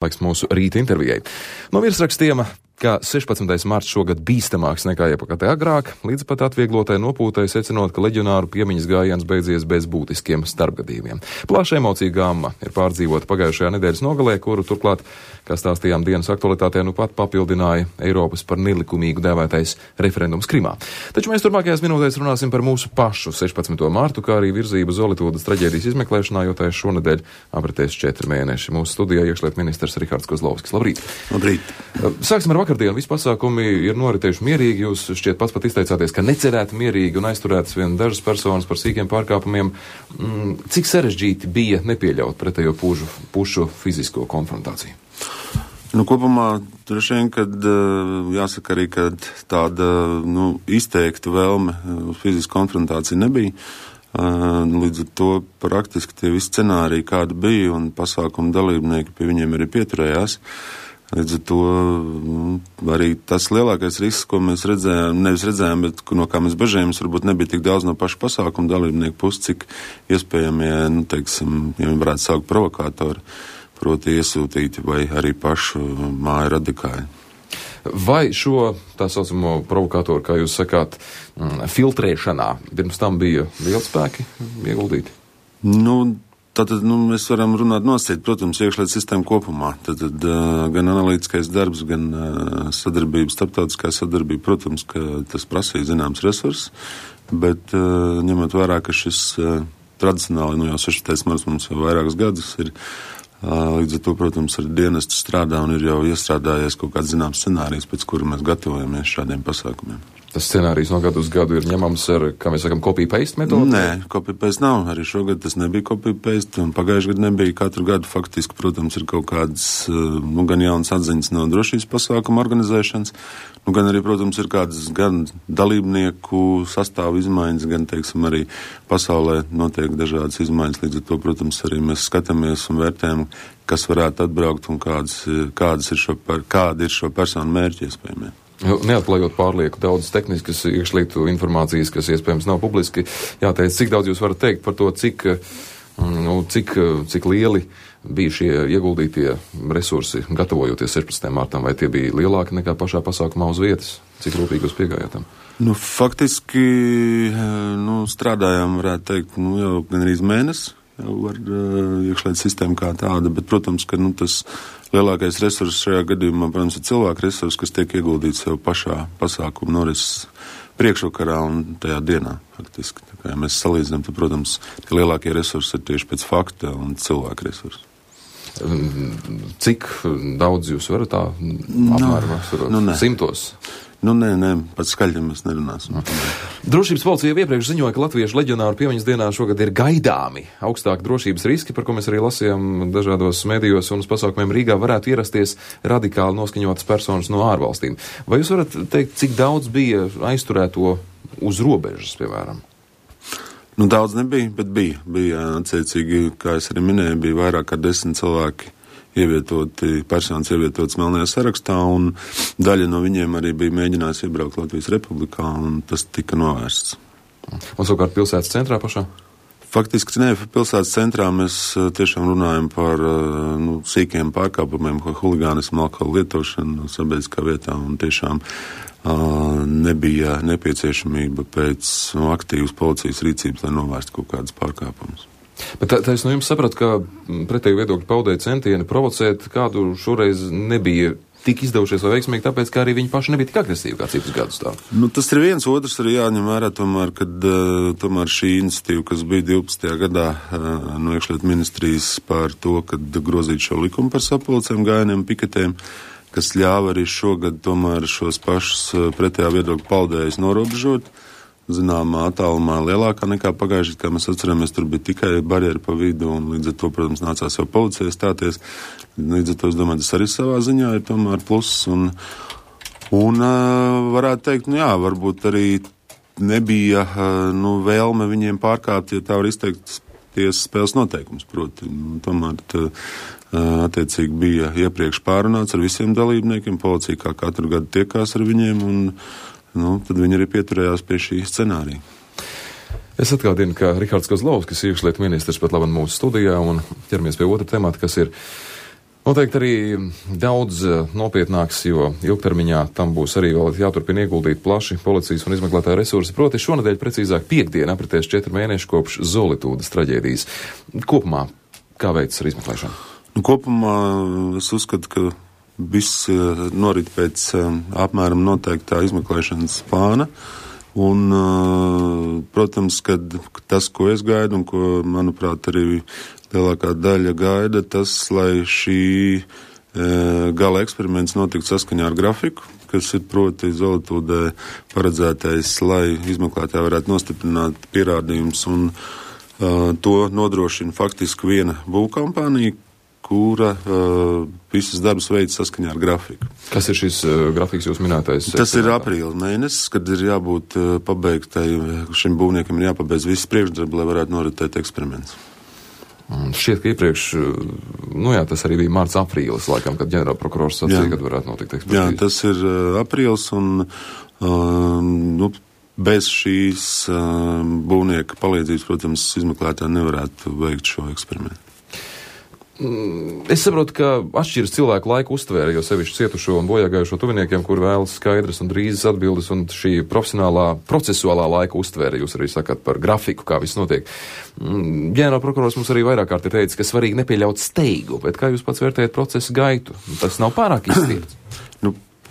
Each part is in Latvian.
Laiks mūsu rīta intervijai. No virsrakstiem, ka 16. marts šogad bīstamāks nekā jebkad agrāk, līdz pat atvieglotai nopūtai secinot, ka leģionāru piemiņas gājiens beidzies bez būtiskiem starpgadījumiem. Plaša emocija gamma ir pārdzīvota pagājušajā nedēļas nogalē, kuru turklāt, kā stāstījām dienas aktualitātē, nu pat papildināja Eiropas par nelikumīgu dēvētais referendums Krimā. Taču mēs turpmākajās minūtēs runāsim par mūsu pašu 16. martu, kā arī virzību Zolitūdas traģēdijas izmeklēšanā, jo tā šonedēļ apritēs 4 mēneši. Mūsu studijā iekšlietu ministrs Rihards Kozlovskis. Labrīt! Labrīt! Sāksim ar vakardienu. Visi pasākumi ir noritējuši mierīgi. Jūs šķiet pats pat izteicāties, ka necerētu mierīgi un aizturētas vien dažas personas par sīkiem pārkāpumiem. Cik sarežģīti bija nepieļaut pretējo pušu fizisko konfrontāciju? Kopumā droši vien, kad jāsaka arī, ka tāda izteikta vēlme uz fizisku konfrontāciju nebija. Līdz ar to praktiski tie visi scenāriji, kādi bija, un pasākumu dalībnieki pie viņiem arī pieturējās. Līdz ar to arī tas lielākais risks, ko mēs nevis redzējām, bet no kā mēs bažījāmies, varbūt nebija tik daudz no pašu pasākumu dalībnieku puses, cik iespējamie, ja varētu saukt provokātori, proti iesūtīti vai arī pašu māju radikāļi. Vai šo tā saucamo provokātoru, kā jūs sakāt, filtrēšanā pirms tam bija lieli spēki ieguldīti? Tātad mēs varam runāt nosacīt, protams, iekšlietu sistēmu kopumā. Tātad gan analītiskais darbs, gan sadarbība, starptautiskā sadarbība, protams, ka tas prasīja zināms resurss, bet ņemot vērā, ka šis tradicionāli, jau 16. marts mums jau vairākus gadus ir, līdz ar to, protams, ar dienestu strādā un ir jau iestrādājies kaut kāds zināms scenārijs, pēc kura mēs gatavojamies šādiem pasākumiem. Tas scenārijs no gadu uz gadu ir ņemams ar, kā mēs sakam, copy-paste metodu? Nē, copy-paste nav. Arī šogad tas nebija copy-paste, un pagājušajā gadu nebija. Katru gadu faktiski, protams, ir kaut kādas gan jaunas atziņas no drošības pasākuma organizēšanas, gan arī, protams, ir kādas gan dalībnieku sastāvu izmaiņas, gan, arī pasaulē notiek dažādas izmaiņas. Līdz ar to, protams, arī mēs skatāmies un vērtējam, kas varētu atbraukt un kādi ir šo personu mērķi iespējamie. Neatklājot pārlieku daudz tehniskas iekšlietu informācijas, kas iespējams nav publiski, jāteic, cik daudz jūs varat teikt par to, cik lieli bija šie ieguldītie resursi, gatavojoties 16. martam, vai tie bija lielāki nekā pašā pasākumā uz vietas? Cik rūpīgi jūs piegājāt tam? Faktiski, strādājām, varētu teikt, jau gan arī mēnesi. Jau ar iekšlietu sistēmu kā tāda, bet, protams, ka tas lielākais resurss šajā gadījumā, protams, ir cilvēku resurss, kas tiek ieguldīts jau pašā pasākuma norises priekšvakarā un tajā dienā, faktiski. Tā kā ja mēs salīdzinām, tad, protams, lielākie resursi ir tieši pēc fakta un cilvēku resursi. Cik daudz jūs varat tā apmēram simtos? Nē, pats skaļi mēs nerunāsim. Drošības policija iepriekš ziņoja, ka latviešu leģionāru piemiņas dienā šogad ir gaidāmi augstāki drošības riski, par ko mēs arī lasījām dažādos medijos, un uz pasākumiem Rīgā varētu ierasties radikāli noskaņotas personas no ārvalstīm. Vai jūs varat teikt, cik daudz bija aizturēto uz robežas, piemēram? Daudz nebija, bet bija attiecīgi, kā es arī minēju, bija vairāk kā 10 cilvēki personas ievietotas melnajā sarakstā, un daļa no viņiem arī bija mēģinājis iebraukt Latvijas Republikā, un tas tika novērsts. Un savukārt pilsētas centrā pašā? Faktiski, pilsētas centrā mēs tiešām runājam par sīkiem pārkāpumiem, huligānismu, alkohola lietošanu sabiedriskā vietā, un tiešām nebija nepieciešamība pēc aktīvas policijas rīcības, lai novērstu kaut kādas pārkāpumus. Bet tā es no jums sapratu, ka pretēju viedokļu paudēja centieni provocēt kādu šoreiz nebija tik izdevušies vai veiksmīgi, tāpēc, ka arī viņi paši nebija tik agresīvi kā citus gadus tā. Tas ir viens, otrs arī jāņem vērā tomēr, kad tomēr šī iniciatīva, kas bija 12. gadā no iekšlietu ministrijas par to, kad grozīt šo likumu par sapulcēm, gājieniem, piketēm, kas ļāva arī šogad tomēr šos pašus pretējā viedokļu paudējus norobežot. Zināmā attālumā lielākā nekā pagājušajā, kā mēs atceramies, tur bija tikai barjeri pa vidu, un līdz ar to, protams, nācās jau policijai stāties. Līdz ar to, es domāju, tas arī savā ziņā ir tomēr pluss, un varētu teikt, varbūt arī nebija, vēlme viņiem pārkāpt, ja tā var izteikt tiesas spēles noteikums, proti. Tomēr attiecīgi bija iepriekš pārunāts ar visiem dalībniekiem, policija kā katru gadu tiekās ar viņiem, un tad viņi arī pieturējās pie šī scenārija. Es atgādinu, ka Rihards Kozlovskis, iekšlietu ministrs, pat labam mūsu studijā, un ķeramies pie otra temata, kas ir Noteikti arī daudz nopietnāks, jo ilgtermiņā tam būs arī vēl jāturpina ieguldīt plaši policijas un izmeklētāju resursi. Proti šonedēļ precīzāk piekdien apritēs 4 mēneši kopš Zolitūdas traģēdijas. Kopumā, kā veids ar izmeklēšanu? Kopumā es uzskatu, ka viss norit pēc apmēram noteiktā izmeklēšanas plāna. Un, protams, kad tas, ko es gaidu un ko, manuprāt, arī lielākā daļa gaida, tas, lai šī gala eksperiments notiktu saskaņā ar grafiku, kas ir proti Zolitūdē paredzētais, lai izmeklētāji varētu nostiprināt pierādījumus, un to nodrošina faktiski viena būvkompānija, kura visas darbus veids saskaņā ar grafiku. Kas ir šis grafiks jūs minētais? Tas ir aprīļa mēnesis, kad ir jābūt pabeigtai, šim būvniekam ir jāpabeidz viss priekšdarbi, lai varētu noritēt eksperiments. Šķiet, ka iepriekš, tas arī bija mārts aprīlis, laikam, kad ģenerālprokurors sacīja, kad varētu notikt ekspertīze. Jā, tas ir aprīlis, un bez šīs būvnieka palīdzības, protams, izmeklētāji nevarētu veikt šo eksperimentu. Es saprotu, ka atšķiras cilvēku laiku uztvēre, jo sevišķi cietušo un bojāgājušo tuviniekiem, kur vēlas skaidras un drīzas atbildes, un šī procesuālā laika uztvēre, jūs arī sakat par grafiku, kā viss notiek. Ģenerālprokurors mums arī vairāk kārt ir teicis, ka svarīgi nepieļaut steigu, bet kā jūs pats vērtējat procesu gaitu? Tas nav pārāk izstirts.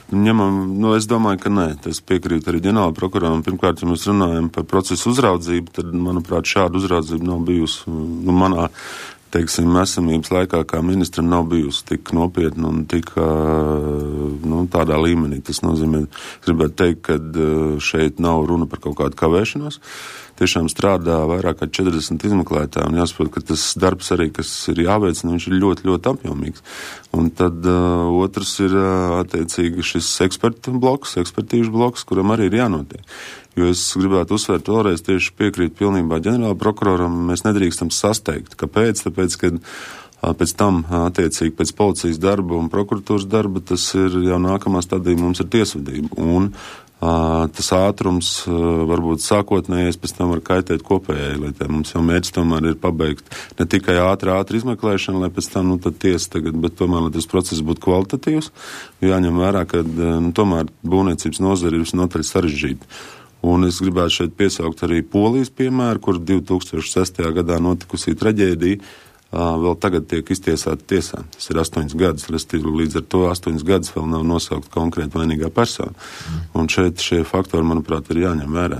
Es domāju, ka nē. Es piekrītu arī ģenerālprokuroram. Pirmkārt, ja mēs runājam par procesu uzraudzību, tad, manuprāt, šāda uzraudzība nav bijusi manā esamības laikā, kā ministram nav bijusi tik nopietna un tik tādā līmenī. Tas nozīmē, gribētu teikt, ka šeit nav runa par kaut kādu kavēšanos. Tiešām strādā vairāk kā 40 izmeklētāji, un jāsaprot, ka tas darbs arī, kas ir jāveic, viņš ir ļoti, ļoti apjomīgs. Un tad otrs ir attiecīgi šis ekspertīžu bloks, kuram arī ir jānotiek. Jo es gribētu uzsvērt vēlreiz, tieši piekrīt pilnībā ģenerālprokuroram, mēs nedrīkstam sasteigt. Kāpēc? Tāpēc, ka pēc tam, attiecīgi pēc policijas darba un prokuratūras darba, tas ir jau nākamā stadija, mums ir tiesvedība. Un tas ātrums varbūt sākotnējais pēc tam var kaitēt kopējai lietē. Mums jau mērķis tomēr ir pabeigt ne tikai ātri izmeklēšanu, lai pēc tam, tad tiesa tagad, bet tomēr, lai tas process būtu kvalitatīvs, jāņem vērā, ka tomēr būvniecības nozara ir visnotaļ sarežģīta. Un es gribētu šeit piesaukt arī Polijas piemēru, kur 2006. gadā notikusi traģēdija, vēl tagad tiek iztiesāta tiesā. Tas ir 8 gadus, līdz ar to 8 gadus vēl nav nosaukt konkrēti vainīgā persona. Un šeit šie faktori, manuprāt, ir jāņem vērā.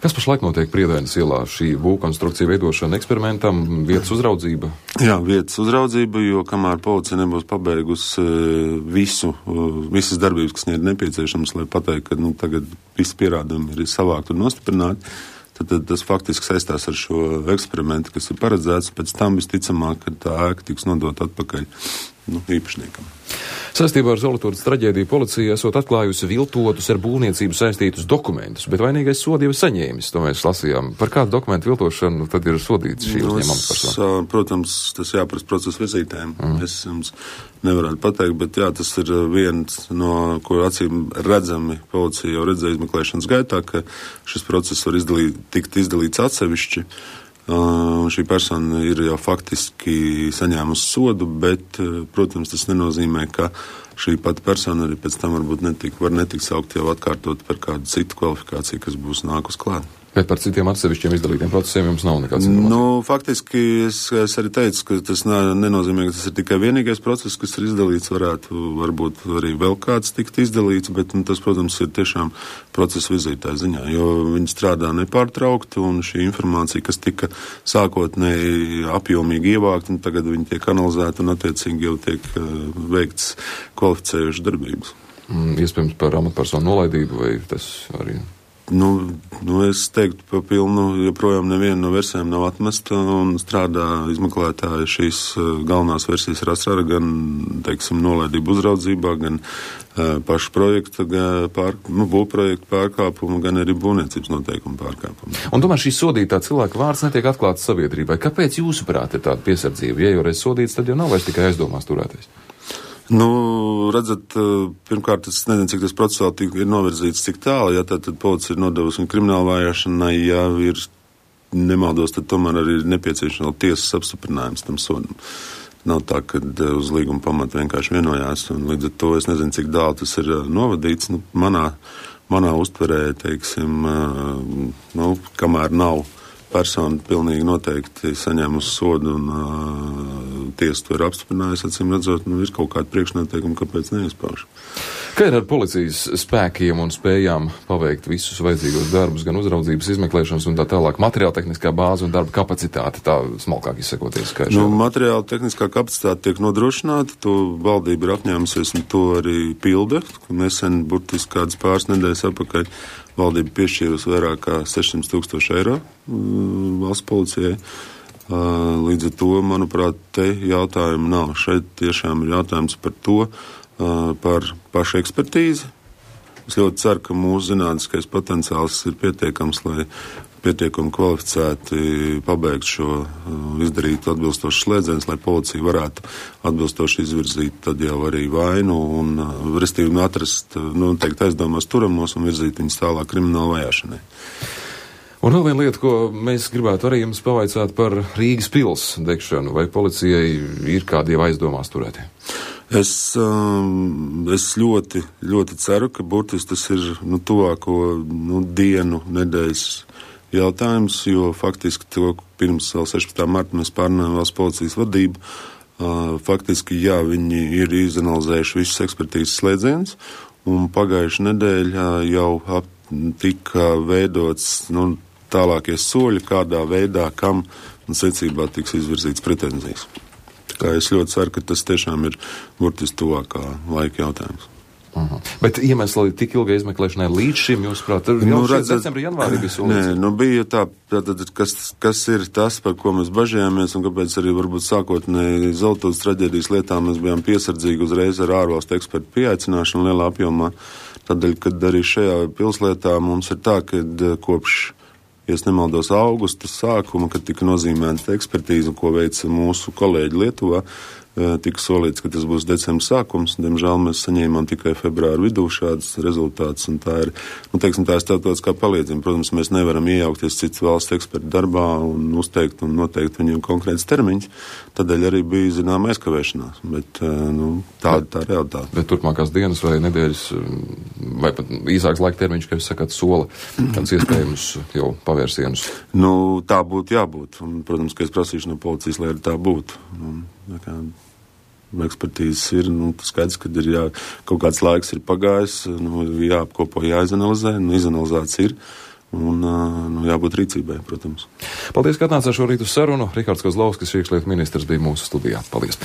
Kas pašlaik notiek Priedainas ielā? Šī būvkonstrukcija veidošana eksperimentam, vietas uzraudzība? Jā, vietas uzraudzība, jo kamēr policija nebūs pabeigusi visas darbības, kas ir nepieciešams, lai pateikt, ka tagad visi pierādījumi ir savākti un nostiprināti, tad tas faktiski saistās ar šo eksperimentu, kas ir paredzēts. Pēc tam visticamāk, ka tā ēka tiks nodot atpakaļ īpašniekam. Saistībā ar Zolitūdas traģēdiju policija esot atklājusi viltotus ar būvniecību saistītus dokumentus, bet vainīgais sodu jau saņēmis, to mēs lasījām. Par kādu dokumentu viltošanu tad ir sodīts šī uzņēmuma persona? Protams, tas jāprast procesu virzītājiem. Es jums nevarētu pateikt, bet jā, tas ir viens no, ko acīm redzami policija jau redzēja izmeklēšanas gaitā, ka šis process var tikt izdalīts atsevišķi. Un šī persona ir jau faktiski saņēmusi sodu, bet, protams, tas nenozīmē, ka šī pati persona arī pēc tam var netikt saukt jau atkārtot par kādu citu kvalifikāciju, kas būs nākus klāt. Bet par citiem atsevišķiem izdalītiem procesiem jums nav nekāds informācijas? Faktiski es arī teicu, ka tas nenozīmē, ka tas ir tikai vienīgais process, kas ir izdalīts, varbūt arī vēl kāds tikt izdalīts, bet tas, protams, ir tiešām procesa vizītāja ziņā, jo viņi strādā nepārtraukti, un šī informācija, kas tika sākotnēji apjomīgi ievākt, un tagad viņi tiek analizēti un attiecīgi jau tiek veikts kvalificējuši darbības. Iespējams par amatpersonu nolaidību, vai tas arī? Es teiktu pa pilnu, joprojām neviena no versijām nav atmesta un strādā izmeklētāji šīs galvenās versijas ir atstrāda gan, nolaidību uzraudzībā, gan pašu projekta, būvprojekta pārkāpumu, gan arī būvniecības noteikumu pārkāpumu. Un tomēr šī sodītā cilvēka vārds netiek atklāts sabiedrībai. Kāpēc jūsuprāt ir tāda piesardzība? Ja jau reiz sodīts, tad jau nav vairs tikai aizdomās turēties. Redzat, pirmkārt, es nezinu, cik tas procesuāli ir novirzīts, cik tālu, ja tad policija ir nodevusi kriminālu vajāšanai, ja ir nemaldos, tad tomēr arī ir nepieciešams tiesas apstiprinājums tam sodam. Nav tā, ka uz līguma pamata vienkārši vienojās, un līdz ar to es nezinu, cik tālu tas ir novadīts. Nu, manā uztverē, teiksim, kamēr nav persona pilnīgi noteikti saņēmusi sodu un tiesa to ir apstiprinājusi, acīm redzot, ir kaut kāda priekšnoteikuma, kāpēc neizpauž. Kā ir ar policijas spēkiem un spējām paveikt visus vajadzīgos darbus, gan uzraudzības, izmeklēšanas un tā tālāk, materiāla tehniskā bāze un darba kapacitāte, tā smalkāk izsakoties? Materiāla tehniskā kapacitāte tiek nodrošināta, to valdība ir apņēmusies un to arī pilda. Nesen, burtiski kādas pāris nedēļas atpakaļ, valdība piešķīrusi vairāk kā 600,000 eiro valsts policijai. Līdz ar to, manuprāt, te jautājumu nav. Šeit tiešām ir jautājums par to, par pašu ekspertīzi. Es ļoti ceru, ka mūsu zinātniskais potenciāls ir pietiekams, lai pietiekami kvalificēti pabeigt šo, izdarīt atbilstošas slēdzienus, lai policija varētu atbilstoši izvirzīt tad jau arī vainu un, restīvi, atrast, teikt, aizdomās turamos un virzīt viņus tālāk krimināla vajāšanai. Un vēl viena lieta, ko mēs gribētu arī jums pavaicāt par Rīgas pils degšanu. Vai policijai ir kādi jau aizdomās turētie? Es ļoti, ļoti ceru, ka burtiski tas ir tuvāko dienu, nedēļas jautājums, jo faktiski to pirms vēl 16. marta mēs pārnājām valsts policijas vadību. Faktiski, jā, viņi ir izanalizējuši visus ekspertīzes slēdzienus, un pagājuši nedēļa jau tika veidots tālākie soļi, kādā veidā, kam un secībā tiks izvirzīts pretenzijas. Tā es ļoti ceru, ka tas tiešām ir burtiski tuvākā laika jautājums. Bet iemesli tik ilgai izmeklēšanai līdz šim, jūs prāt, jau decembrī, janvārī bija solīts? Nē, bija tā, kas ir tas, par ko mēs bažījāmies, un kāpēc arī varbūt sākotnēji Zeltūdas traģēdijas lietā mēs bijām piesardzīgi uzreiz ar ārvalstu ekspertu pieaicināšanu lielā apjomā. Tādēļ, kad arī šajā pilslietā mums ir tā, ka kopš, ja es nemaldos, augusta sākuma, kad tika nozīmēta ekspertīze, ko veica mūsu kolēģi Lietuvā, tika solīts, ka tas būs decembra sākums. Diemžēl mēs saņēmām tikai februāra vidū šādas rezultātus, un tā ir, tā ir starptautiskā palīdzība. Protams, mēs nevaram iejaukties citas valsts ekspertu darbā un uzteikt un noteikt viņiem konkrēts termiņš. Tādēļ arī bija zināma aizkavēšanās, bet tāda tā realitāte. Bet turpmākās dienas vai nedēļas, vai pat īsāks laika termiņš, kā jūs sakāt, sola, kāds iespējams jau pavērsienus? Tā būtu jābūt. Un, protams, ka es prasīšu no policijas, lai arī tā būtu. Ekspertīzes ir, skaidrs, ka ir kaut kāds laiks ir pagājis, jāapkopo, jāizanalizē, izanalizēts ir, un jābūt rīcībai, protams. Paldies, ka atnācāt šorīt uz sarunu. Rihards Kozlovskis, iekšlietu ministrs, bija mūsu studijā. Paldies!